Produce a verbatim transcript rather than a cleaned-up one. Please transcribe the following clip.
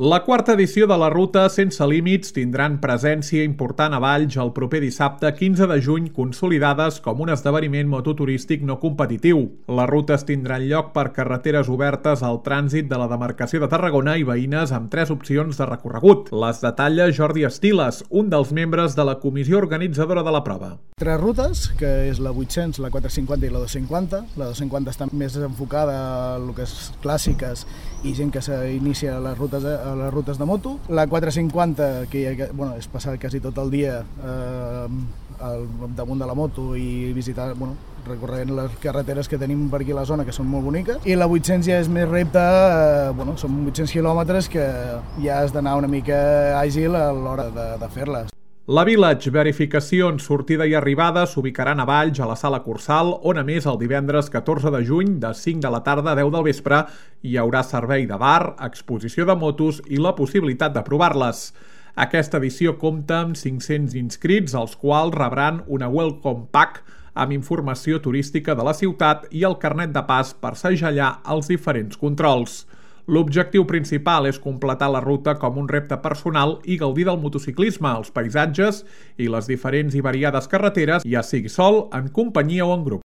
La quarta edició de la Ruta Sense Límits tindran presència important a Valls el proper dissabte quinze de juny, consolidades com un esdeveniment mototurístic no competitiu. Les rutes tindran lloc per carreteres obertes al trànsit de la demarcació de Tarragona i veïnes amb tres opcions de recorregut. Les detalla Jordi Estiles, un dels membres de la comissió organitzadora de la prova. Tres rutes, que és la vuit-cents, la quatre-cents cinquanta i la dos-cents cinquanta. La dos-cents cinquanta està més enfocada a el que és clàssiques i gent que s'inicia a les rutes de, a les rutes de moto. La quatre-cents cinquanta, que bueno, és passar quasi tot el dia eh, al damunt de la moto i visitar, bueno, recorrent les carreteres que tenim per aquí a la zona, que són molt boniques. I la vuit-cents ja és més repte, eh, bueno, són vuit-cents quilòmetres que ja has d'anar una mica àgil a l'hora de, de fer-les. La Village Verificacions, sortida i arribada s'ubicaran a Valls, a la Sala Cursal, on a més el divendres catorze de juny, de cinc de la tarda a deu del vespre, hi haurà servei de bar, exposició de motos i la possibilitat de provar-les. Aquesta edició compta amb cinc-cents inscrits, els quals rebran una Welcome Pack amb informació turística de la ciutat i el carnet de pas per segellar els diferents controls. L'objectiu principal és completar la ruta com un repte personal i gaudir del motociclisme, els paisatges i les diferents i variades carreteres, ja sigui sol, en companyia o en grup.